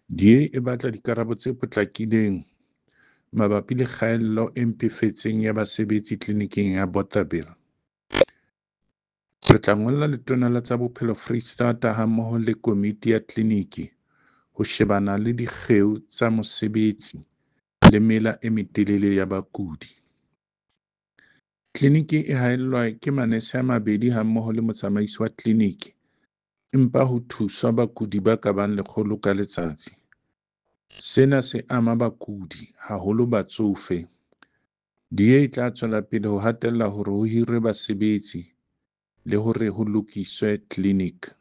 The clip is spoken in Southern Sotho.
DA e batla dikarabo tse potlakileng mabapi le kgaello e mpefetseng ya basebetsi tleliniking ya Bothaville. Re tla ngolla Letona la tsa Bophelo Freistata hammoho le komiti ya tleliniki ho shebana le dikgeo tsa mosebetsi le mela e metelele ya bakudi. Tleliniki e haellwa ke manese a mabedi hammoho le motsamaisi wa tleliniki empa ho thuswa bakudi ba ka bang 100 ka letsatsi. Sena se ama bakudi, haholo batsofe. DA e tla tswela pele ho hatella hore ho hirwe basebetsi le hore ho lokiswe tleliniki.